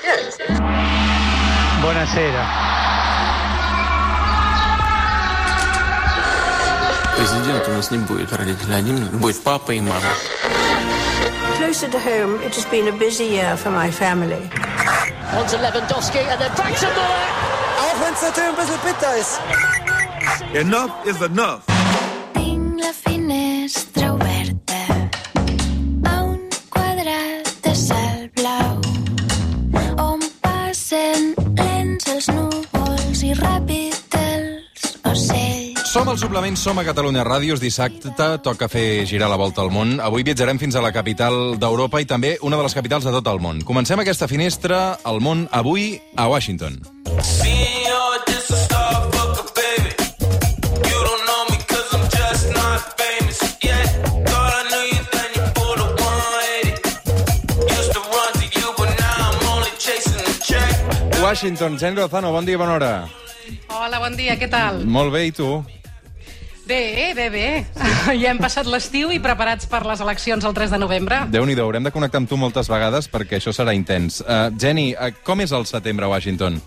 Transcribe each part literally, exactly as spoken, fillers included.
Yes. Buonasera. Президент у нас не будет родителей, один будет папа и мама. Closer to home, it has been a busy year for my family. On to Lewandowski and then back to Muller. Auch wenn es natürlich ein bisschen bitter ist. Enough is enough. Tinc la finestra oberta a un quadrat de cel blau on passen lents els núvols i ràpid els ocells. Som al Suplement, som a Catalunya Ràdio. És dissabte, toca fer girar la volta al món. Avui viatjarem fins a la capital d'Europa i també una de les capitals de tot el món. Comencem aquesta finestra al món avui a Washington. Washington, Jenny Lozano, bon dia, bona hora. Hola, bon dia, què tal? Molt bé, i tu? Bé, bé, bé. Sí. Ja hem passat l'estiu i preparats per les eleccions el tres de novembre. Déu-n'hi-do, haurem de connectar amb tu moltes vegades perquè això serà intens. Uh, Jenny, uh, com és el setembre a Washington?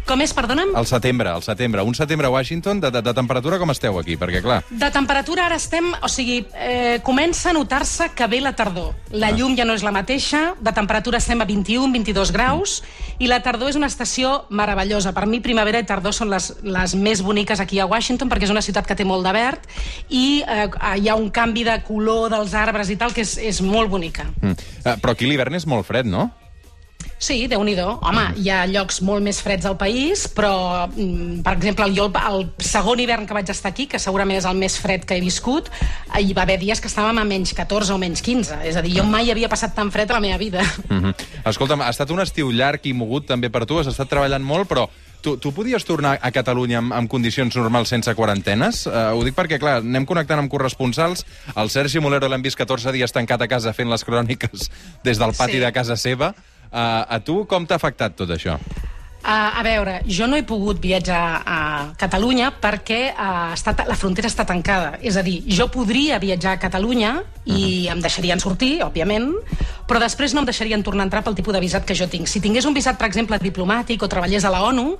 Com és, perdona'm? El setembre, el setembre. Un setembre a Washington, de, de, de temperatura com esteu aquí? Perquè, clar... De temperatura ara estem... O sigui, eh, comença a notar-se que ve la tardor. La llum ja no és la mateixa, de temperatura estem a vint-i-un, vint-i-dos graus, i la tardor és una estació meravellosa. Per mi, primavera i tardor són les, les més boniques aquí a Washington, perquè és una ciutat que té molt de verd, i eh, hi ha un canvi de color dels arbres i tal, que és, és molt bonica. Mm. Uh, però aquí l'hivern és molt fred, no? Sí, Déu-n'hi-do. Home, hi ha llocs molt més freds al país, però, per exemple, jo el segon hivern que vaig estar aquí, que segurament és el més fred que he viscut, hi va haver dies que estàvem a menys catorze o menys quinze. És a dir, jo mai havia passat tan fred a la meva vida. Mm-hmm. Escolta'm, ha estat un estiu llarg i mogut també per tu, has estat treballant molt, però tu, tu podies tornar a Catalunya amb, amb condicions normals sense quarantenes? Uh, ho dic perquè, clar, anem connectant amb corresponsals. El Sergi Molero l'hem vist catorze dies tancat a casa fent les cròniques des del pati sí. de casa seva. Uh, a tu com t'ha afectat tot això? Uh, a veure, jo no he pogut viatjar a Catalunya perquè uh, està, la frontera està tancada. És a dir, jo podria viatjar a Catalunya i uh-huh. em deixarien sortir, òbviament, però després no em deixarien tornar a entrar pel tipus de visat que jo tinc. Si tingués un visat, per exemple, diplomàtic o treballés a la ONU,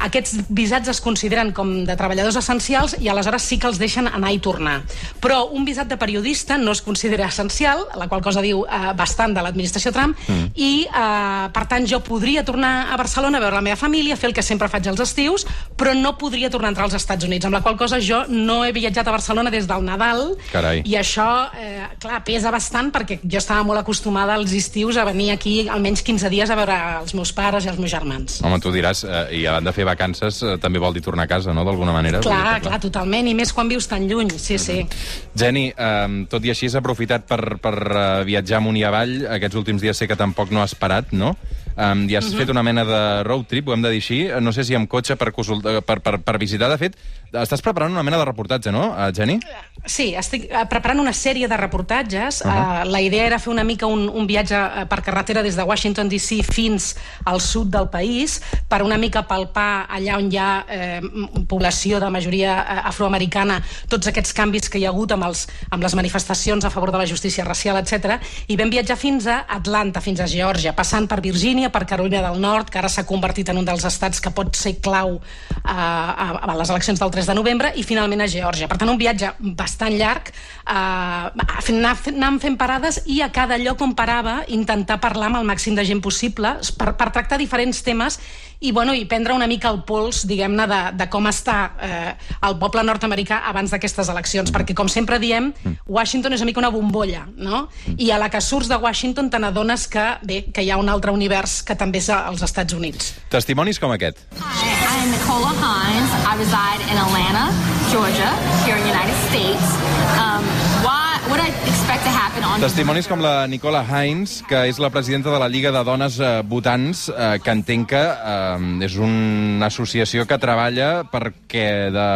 aquests visats es consideren com de treballadors essencials i aleshores sí que els deixen anar i tornar. Però un visat de periodista no es considera essencial, la qual cosa diu uh, bastant de l'administració Trump, uh-huh. i, uh, per tant, jo podria tornar a Barcelona a veure la meva família, fer el que sempre faig als estius, però no podria tornar a entrar als Estats Units, amb la qual cosa jo no he viatjat a Barcelona des del Nadal. Carai. I això, eh, clar, pesa bastant perquè jo estava molt acostumada als estius a venir aquí almenys quinze dies a veure els meus pares i els meus germans. Home, tu diràs, eh, i a banda de fer vacances, eh, també vol dir tornar a casa, no?, d'alguna manera. Clar, clar, clar, totalment, i més quan vius tan lluny, sí, sí. Mm-hmm. Jenny, eh, tot i així has aprofitat per, per uh, viatjar amunt i avall. Aquests últims dies sé que tampoc no has parat, no? Um, I has uh-huh. fet una mena de road trip, ho hem de dir així, no sé si amb cotxe per, consulta, per, per, per visitar. De fet, estàs preparant una mena de reportatge, no, Jenny? Sí, estic preparant una sèrie de reportatges. Uh-huh. Uh, la idea era fer una mica un, un viatge per carretera des de Washington D C fins al sud del país, per una mica palpar allà on hi ha eh, població de majoria afroamericana, tots aquests canvis que hi ha hagut amb, els, amb les manifestacions a favor de la justícia racial, etcètera. I vam viatjar fins a Atlanta, fins a Geòrgia, passant per Virgínia, per Carolina del Nord, que ara s'ha convertit en un dels estats que pot ser clau a, a, a les eleccions del tres de novembre, i finalment a Geòrgia. Per tant, un viatge bastant llarg, eh, anar, anar fent parades, i a cada lloc on parava intentar parlar amb el màxim de gent possible per, per tractar diferents temes i, bueno, i prendre una mica el pols, diguem-ne, de, de com està eh, el poble nord-americà abans d'aquestes eleccions, perquè, com sempre diem, Washington és una mica una bombolla, no? I a la que surts de Washington te n'adones que, bé, que hi ha un altre univers que també és als Estats Units. Testimonis com aquest. Hi, I'm Nicola Hines. I reside in Atlanta, Georgia, here in the United States. Um, why, what I expect to happen on... Testimonis com la Nicola Hines, que és la presidenta de la Lliga de Dones eh, Votants, eh, que entenc que eh, és una associació que treballa perquè de...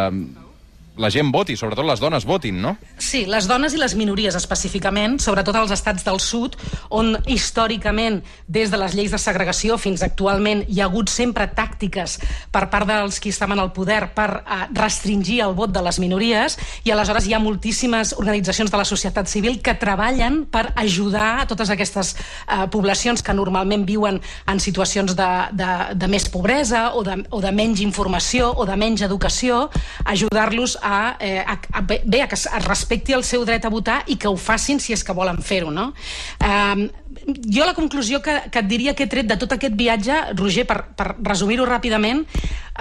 la gent voti, sobretot les dones votin, no? Sí, les dones i les minories específicament, sobretot als estats del sud, on històricament, des de les lleis de segregació fins actualment, hi ha hagut sempre tàctiques per part dels qui estaven al poder per eh, restringir el vot de les minories, i aleshores hi ha moltíssimes organitzacions de la societat civil que treballen per ajudar a totes aquestes eh, poblacions que normalment viuen en situacions de, de, de més pobresa o de, o de menys informació o de menys educació, ajudar-los a, eh, a, a, bé, a que es respecti el seu dret a votar i que ho facin si és que volen fer-ho, no? Eh, jo la conclusió que, que et diria que he tret de tot aquest viatge, Roger, per, per resumir-ho ràpidament,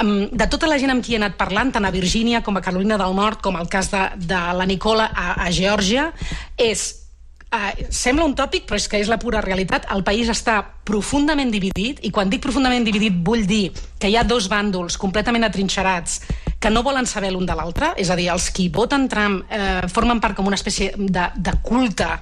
um, de tota la gent amb qui he anat parlant, tant a Virgínia com a Carolina del Nord, com el cas de, de la Nicola a, a Geòrgia, és... Uh, sembla un tòpic, però és que és la pura realitat. El país està profundament dividit, i quan dic profundament dividit vull dir que hi ha dos bàndols completament atrinxerats que no volen saber l'un de l'altre, és a dir, els qui voten Trump eh, formen part com una espècie de, de culte a,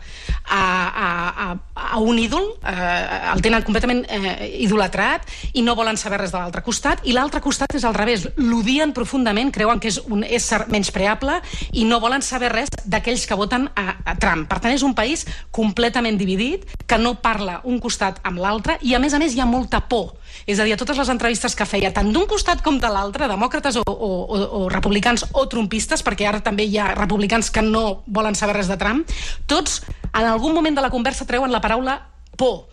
a, a, a un ídol, eh, el tenen completament eh, idolatrat i no volen saber res de l'altre costat, i l'altre costat és al revés, l'odien profundament, creuen que és un ésser menyspreable i no volen saber res d'aquells que voten a, a Trump. Per tant, és un país completament dividit, que no parla un costat amb l'altre, i a més a més hi ha molta por. És a dir, a totes les entrevistes que feia, tant d'un costat com de l'altre, demòcrates o, o, o, o republicans o trumpistes, perquè ara també hi ha republicans que no volen saber res de Trump, tots en algun moment de la conversa treuen la paraula por.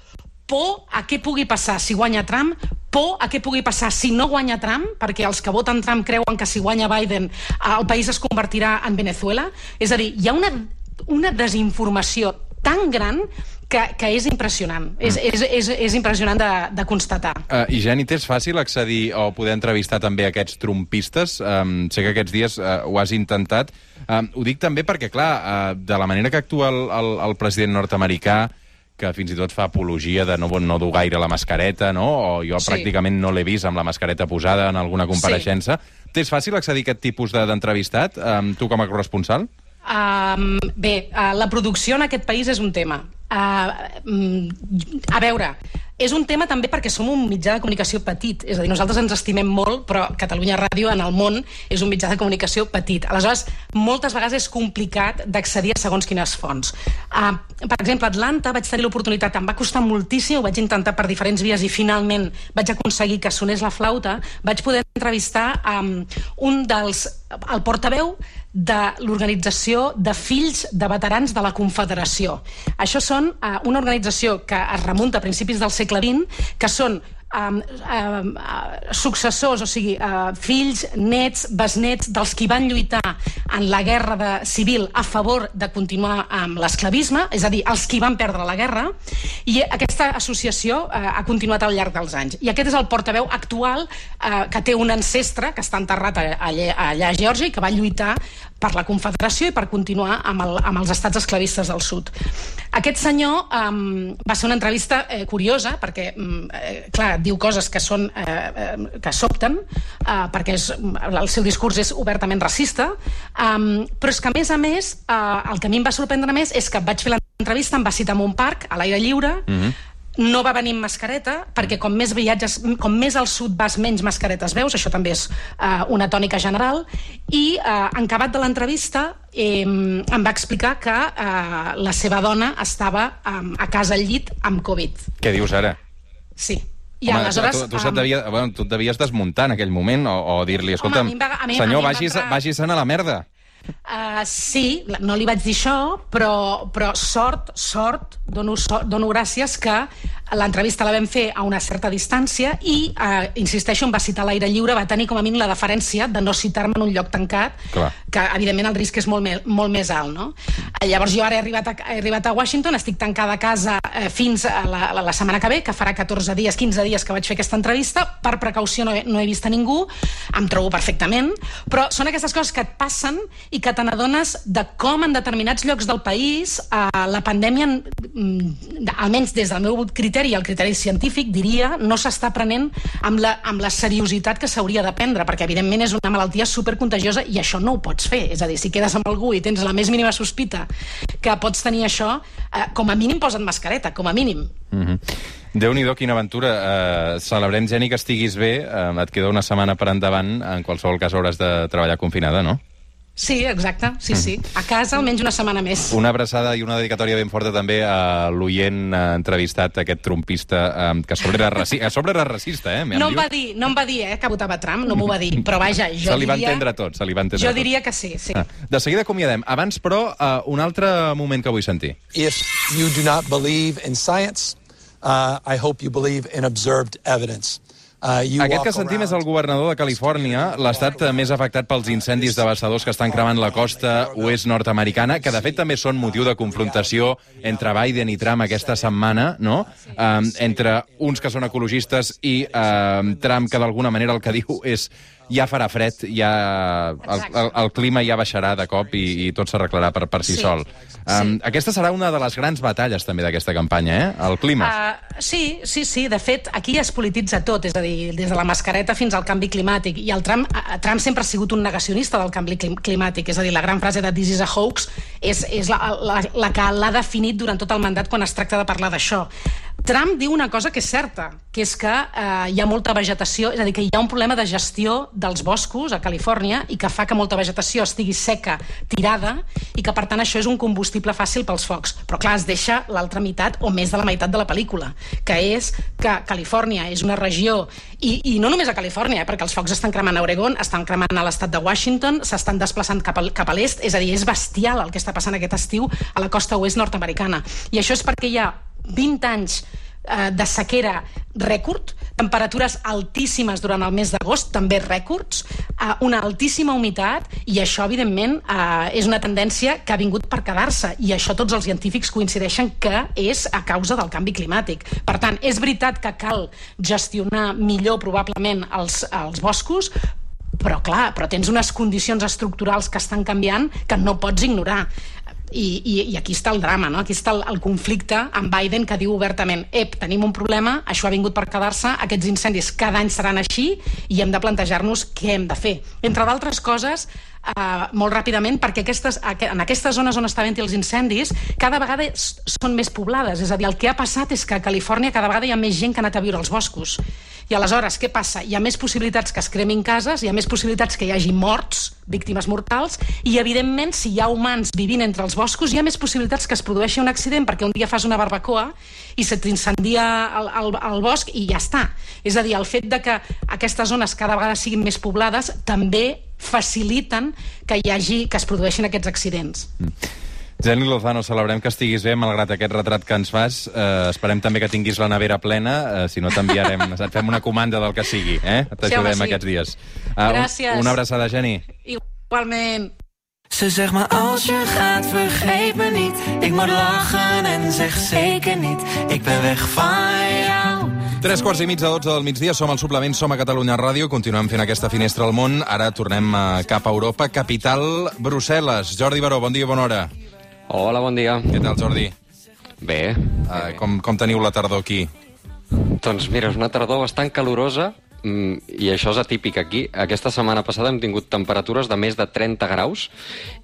Por a què pugui passar si guanya Trump, por a què pugui passar si no guanya Trump, perquè els que voten Trump creuen que si guanya Biden el país es convertirà en Venezuela. És a dir, hi ha una, una desinformació tan gran que, que és impressionant. Mm. És, és, és, és impressionant de, de constatar. Uh, I, Jenny, t'és fàcil accedir o poder entrevistar també aquests trumpistes? Um, sé que aquests dies uh, ho has intentat. Um, ho dic també perquè, clar, uh, de la manera que actua el, el, el president nord-americà, que fins i tot fa apologia de no, no dur gaire la mascareta, no? O jo sí. pràcticament no l'he vist amb la mascareta posada en alguna compareixença. Sí. T'és fàcil accedir a aquest tipus d'entrevistat, um, tu com a corresponsal? Um, bé, uh, la producció en aquest país és un tema. Uh, um, a veure, és un tema també perquè som un mitjà de comunicació petit. És a dir, nosaltres ens estimem molt, però Catalunya Ràdio en el món és un mitjà de comunicació petit. Aleshores, moltes vegades és complicat d'accedir a segons quines fonts. Uh, per exemple, a Atlanta vaig tenir l'oportunitat, em va costar moltíssim, ho vaig intentar per diferents vies i finalment vaig aconseguir que sonés la flauta. Vaig poder entrevistar um, un dels... el portaveu de l'organització de fills de veterans de la Confederació. Això són uh, una organització que es remunta a principis del segle vint, que són um, um, uh, successors, o sigui, uh, fills, nets, besnets dels qui van lluitar en la guerra de, civil a favor de continuar amb l'esclavisme, és a dir, els qui van perdre la guerra, i aquesta associació uh, ha continuat al llarg dels anys. I aquest és el portaveu actual uh, que té un ancestre que està enterrat allà, allà a Geòrgia i que va lluitar per la Confederació i per continuar amb, el, amb els estats esclavistes del sud. Aquest senyor um, va ser una entrevista eh, curiosa, perquè, um, eh, clar, diu coses que són eh, eh, que sobten, eh, perquè és, el seu discurs és obertament racista, um, però és que, a més a més, eh, el que a mi em va sorprendre més és que vaig fer l'entrevista, em va citar en un parc, a l'aire lliure, mm-hmm. no va venir amb mascareta, perquè com més viatges, com més al sud vas, menys mascaretes veus, això també és uh, una tònica general, i uh, en acabat de l'entrevista eh, em va explicar que uh, la seva dona estava um, a casa al llit amb Covid. Què dius ara? Sí. I Home, aleshores... tu, tu, tu, devia, bueno, tu et devies desmuntar en aquell moment, o, o dir-li, escolta'm, Home, va, mi, senyor, vagis, entrar... vagis-se'n a la merda. Uh, sí, no li vaig dir això, però, però sort, sort, dono, sort, dono gràcies que l'entrevista la vam fer a una certa distància i, uh, insisteixo, em va citar a l'aire lliure, va tenir com a mínim la deferència de no citar-me en un lloc tancat, Clar. que evidentment el risc és molt, me, molt més alt, no? Uh, llavors jo ara he arribat, a, he arribat a Washington, estic tancada a casa uh, fins a la, la, la setmana que ve, que farà catorze dies, quinze dies que vaig fer aquesta entrevista, per precaució no he, no he vist a ningú, em trobo perfectament, però són aquestes coses que et passen i que te n'adones de com en determinats llocs del país eh, la pandèmia, mm, almenys des del meu criteri i el criteri científic, diria, no s'està prenent amb la, amb la seriositat que s'hauria de prendre, perquè evidentment és una malaltia supercontagiosa i això no ho pots fer. És a dir, si quedes amb algú i tens la més mínima sospita que pots tenir això, eh, com a mínim posa't mascareta, com a mínim. Mm-hmm. Déu-n'hi-do, quina aventura. Uh, celebrem, Jenny, que estiguis bé. Uh, et queda una setmana per endavant. En qualsevol cas hauràs de treballar confinada, no? Sí, exacte, sí, sí. A casa almenys una setmana més. Una abraçada i una dedicatòria ben forta també a l'oient entrevistat, aquest trumpista, eh, que a sobre era, raci a sobre era racista, eh? No em va dir, no em va dir, eh, que votava Trump, no m'ho va dir, però vaja, jo diria... Se li va entendre tot, se li va entendre Jo tot. diria que sí, sí. Ah, de seguida acomiadem. Abans, però, uh, un altre moment que vull sentir. If you do not believe in science, uh, I hope you believe in observed evidence. Uh, Aquest que sentim és el governador de Califòrnia, l'estat més afectat pels incendis devastadors que estan cremant la costa oest nord-americana, que de fet també són motiu de confrontació entre Biden i Trump aquesta setmana, no? Um, entre uns que són ecologistes i um, Trump, que d'alguna manera el que diu és ja farà fred, ja el, el, el clima ja baixarà de cop i, i tot s'arreglarà per, per si Sí. sol. Um, Sí. Aquesta serà una de les grans batalles també d'aquesta campanya, eh? El clima. Uh, sí, sí, sí. De fet, aquí es polititza tot, és a dir, des de la mascareta fins al canvi climàtic. I el Trump, uh, Trump sempre ha sigut un negacionista del canvi clim climàtic. És a dir, la gran frase de "This is a hoax" és, és la, la, la que l'ha definit durant tot el mandat quan es tracta de parlar d'això. Trump diu una cosa que és certa, que és que eh, hi ha molta vegetació, és a dir, que hi ha un problema de gestió dels boscos a Califòrnia i que fa que molta vegetació estigui seca, tirada, i que per tant això és un combustible fàcil pels focs. Però clar, es deixa l'altra meitat o més de la meitat de la pel·lícula, que és que Califòrnia és una regió, i, i no només a Califòrnia, eh, perquè els focs estan cremant a Oregon, estan cremant a l'estat de Washington, s'estan desplaçant cap, al, cap a l'est, és a dir, és bestial el que està passant aquest estiu a la costa oest nord-americana. I això és perquè hi ha vint anys eh, de sequera rècord, temperatures altíssimes durant el mes d'agost, també rècords, eh, una altíssima humitat, i això, evidentment, eh, és una tendència que ha vingut per quedar-se, i això tots els científics coincideixen que és a causa del canvi climàtic. Per tant, és veritat que cal gestionar millor, probablement, els, els boscos, però clar, però tens unes condicions estructurals que estan canviant que no pots ignorar. I, i, i aquí està el drama, no? Aquí està el, el conflicte amb Biden, que diu obertament: ep, tenim un problema, això ha vingut per quedar-se, aquests incendis cada any seran així i hem de plantejar-nos què hem de fer. Entre d'altres coses, eh, molt ràpidament, perquè aquestes, en aquestes zones on està havent-hi els incendis cada vegada són més poblades, és a dir, el que ha passat és que a Califòrnia cada vegada hi ha més gent que ha anat a viure als boscos. I aleshores, què passa? Hi ha més possibilitats que es cremin cases, hi ha més possibilitats que hi hagi morts, víctimes mortals, i, evidentment, si hi ha humans vivint entre els boscos, hi ha més possibilitats que es produeixi un accident, perquè un dia fas una barbacoa i se t'incendia el, el, el bosc i ja està. És a dir, el fet de que aquestes zones cada vegada siguin més poblades també faciliten que hi hagi, que es produeixin aquests accidents. Mm. Jenny Lozano, celebrem que estiguis bé, malgrat aquest retrat que ens fas. Eh, esperem també que tinguis la nevera plena, eh, si no t'enviarem, et fem una comanda del que sigui, eh? T'ajudem sí, sí. aquests dies. Uh, Gràcies. Un, una abraçada, Jenny. Igualment. Ze zegt maar als je gaat vergeet me niet. Ik moet lachen en zeg zeker niet. Ik ben weg van jou. Tres quarts i mig de dotze del migdia, som al Suplement, som a Catalunya Ràdio, continuem fent aquesta finestra al món. Ara tornem cap a Europa, capital Brussel·les. Jordi Baró, bon dia i bona hora. Hola, bon dia. Què tal, Jordi? Bé. Uh, com, com teniu la tardor aquí? Doncs mira, és una tardor bastant calorosa, i això és atípic aquí. Aquesta setmana passada hem tingut temperatures de més de trenta graus,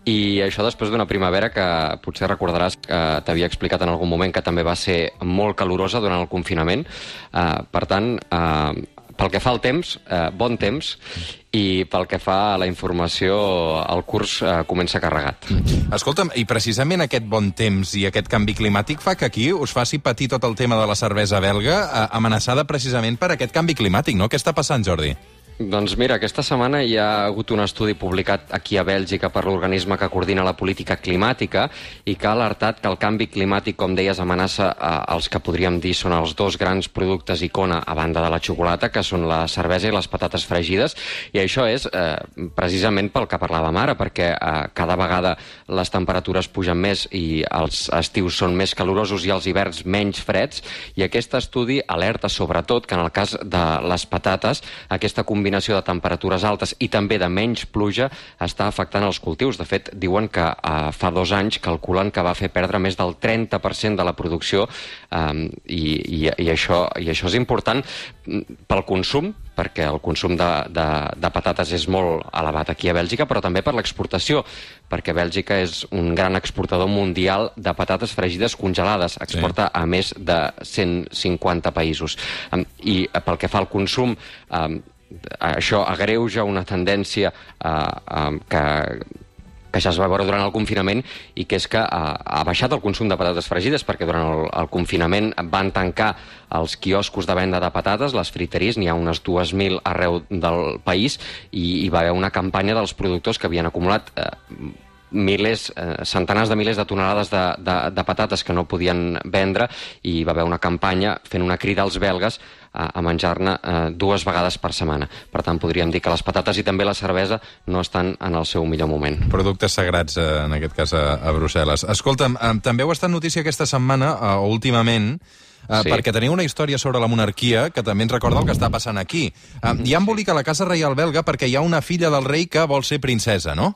i això després d'una primavera que potser recordaràs que t'havia explicat en algun moment que també va ser molt calorosa durant el confinament. Uh, per tant, uh, pel que fa al temps, eh, bon temps, i pel que fa a la informació, el curs eh, comença carregat. Escolta'm, i precisament aquest bon temps i aquest canvi climàtic fa que aquí us faci patir tot el tema de la cervesa belga, eh, amenaçada precisament per aquest canvi climàtic, no? Què està passant, Jordi? Doncs mira, aquesta setmana hi ha hagut un estudi publicat aquí a Bèlgica per l'organisme que coordina la política climàtica i que ha alertat que el canvi climàtic, com deies, amenaça eh, els que podríem dir són els dos grans productes icona a banda de la xocolata, que són la cervesa i les patates fregides, i això és eh, precisament pel que parlàvem ara, perquè eh, cada vegada les temperatures pugen més i els estius són més calorosos i els hiverns menys freds, i aquest estudi alerta sobretot que en el cas de les patates, aquesta combinació combinació de temperatures altes i també de menys pluja està afectant els cultius. De fet, diuen que eh, fa dos anys calculen que va fer perdre més del trenta per cent de la producció eh, i, i, i, això, i això és important pel consum, perquè el consum de, de, de patates és molt elevat aquí a Bèlgica, però també per l'exportació, perquè Bèlgica és un gran exportador mundial de patates fregides congelades, exporta sí. a més de cent cinquanta països. I pel que fa al consum, eh, això agreuja una tendència eh, eh, que que ja es va veure durant el confinament i que és que ha, ha baixat el consum de patates fregides, perquè durant el, el confinament van tancar els quioscos de venda de patates, les friteries, n'hi ha unes dues mil arreu del país, i hi va haver una campanya dels productors que havien acumulat eh, milers, eh, centenars de milers de tonelades de, de, de patates que no podien vendre, i hi va haver una campanya fent una crida als belgues a, a menjar-ne eh, dues vegades per setmana. Per tant, podríem dir que les patates i també la cervesa no estan en el seu millor moment. Productes sagrats, eh, en aquest cas, a, a Brussel·les. Escolta'm, eh, també heu estat notícia aquesta setmana, eh, últimament, Uh, sí. perquè teniu una història sobre la monarquia que també ens recorda el que està passant aquí. Uh, hi ha embolic a la Casa Reial belga perquè hi ha una filla del rei que vol ser princesa, no?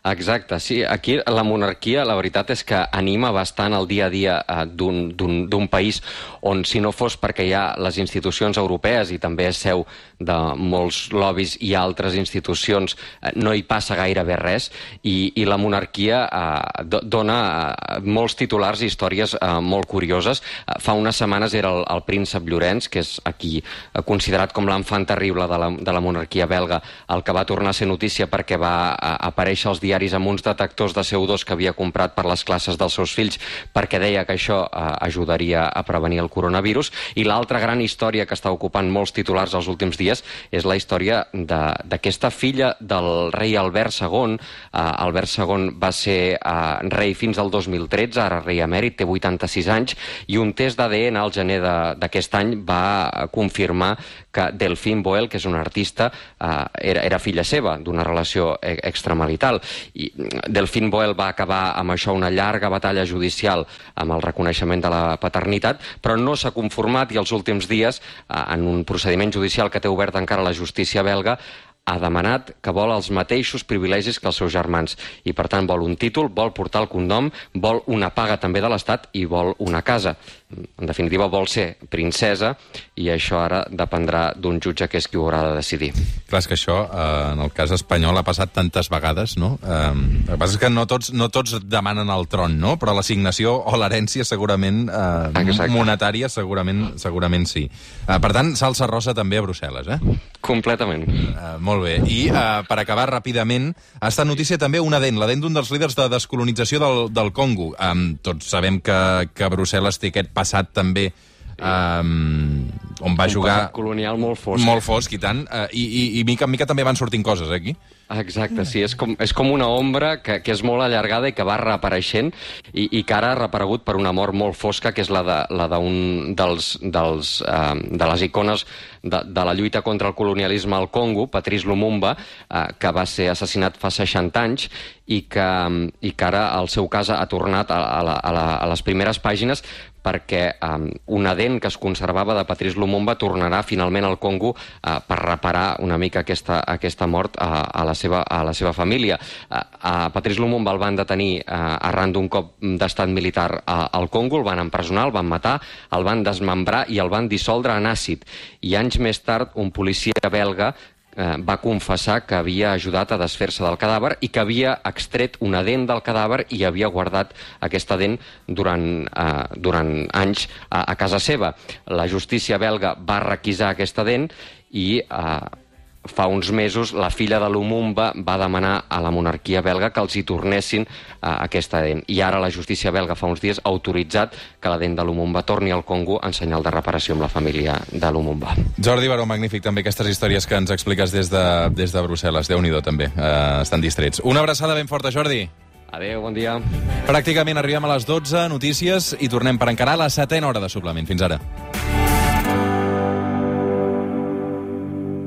Exacte, sí. Aquí la monarquia, la veritat és que anima bastant el dia a dia eh, d'un país on, si no fos perquè hi ha les institucions europees i també és seu de molts lobbies i altres institucions, eh, no hi passa gairebé res, i, i la monarquia eh, dona eh, molts titulars i històries eh, molt curioses. Eh, fa unes setmanes era el, el príncep Llorenç, que és aquí eh, considerat com l'enfant terrible de la, de la monarquia belga, el que va tornar a ser notícia perquè va eh, aparèixer als diaris diaris amb uns detectors de C O dos que havia comprat per les classes dels seus fills, perquè deia que això eh, ajudaria a prevenir el coronavirus. I l'altra gran història que està ocupant molts titulars els últims dies és la història d'aquesta filla del rei Albert segon. Eh, Albert segon va ser eh, rei fins al dos mil tretze, ara rei emèrit, té vuitanta-sis anys, i un test d'A D N al gener d'aquest any va confirmar que Delphine Boel, que és una artista, eh, era, era filla seva, d'una relació extramarital. I Delphine Boel va acabar amb això una llarga batalla judicial amb el reconeixement de la paternitat, però no s'ha conformat, i els últims dies, en un procediment judicial que té obert encara la justícia belga, ha demanat que vol els mateixos privilegis que els seus germans, i per tant vol un títol, vol portar el cognom, vol una paga també de l'Estat i vol una casa. En definitiva, vol ser princesa, i això ara dependrà d'un jutge que és qui ho haurà de decidir. Clar, és que això, eh, en el cas espanyol, ha passat tantes vegades, no? Eh, el que passa és que no tots, no tots demanen el tron, no? Però l'assignació o l'herència segurament, eh, monetària, segurament, segurament sí. Eh, per tant, salsa rosa també a Brussel·les, eh? Completament. Eh, molt bé. I eh, per acabar ràpidament, ha estat notícia també una dent, la dent d'un dels líders de descolonització del, del Congo. Eh, tots sabem que, que Brussel·les té aquest passat també um, on va un jugar... Un passat colonial molt fosc. Molt fosc, i tant. Uh, i, i, I mica en mica també van sortint coses, eh, aquí. Exacte, sí, és com, és com una ombra que, que és molt allargada i que va reapareixent, i, i que ara ha reaparegut per una mort molt fosca, que és la d'un de, dels, dels, uh, de les icones de, de la lluita contra el colonialisme al Congo, Patrice Lumumba, uh, que va ser assassinat fa seixanta anys, i que, i que ara el seu cas ha tornat a, a, la, a, la, a les primeres pàgines, perquè um, una dent que es conservava de Patrice Lumumba tornarà finalment al Congo uh, per reparar una mica aquesta, aquesta mort uh, a, la seva, a la seva família. Uh, uh, Patrice Lumumba el van detenir uh, arran d'un cop d'estat militar uh, al Congo, el van empresonar, el van matar, el van desmembrar i el van dissoldre en àcid. I anys més tard, un policia belga Eh, va confessar que havia ajudat a desfer-se del cadàver i que havia extret una dent del cadàver i havia guardat aquesta dent durant, eh, durant anys a, a casa seva. La justícia belga va requisar aquesta dent i eh, fa uns mesos la filla de Lumumba va demanar a la monarquia belga que els hi tornessin eh, aquesta dent. I ara la justícia belga fa uns dies ha autoritzat que la dent de Lumumba torni al Congo en senyal de reparació amb la família de Lumumba. Jordi Baró, magnífic també aquestes històries que ens expliques des de, des de Brussel·les. Déu-n'hi-do també, eh, estan distrets. Una abraçada ben forta, Jordi. Adéu, bon dia. Pràcticament arribem a les dotze, notícies, i tornem per encarar la setena hora de suplement. Fins ara.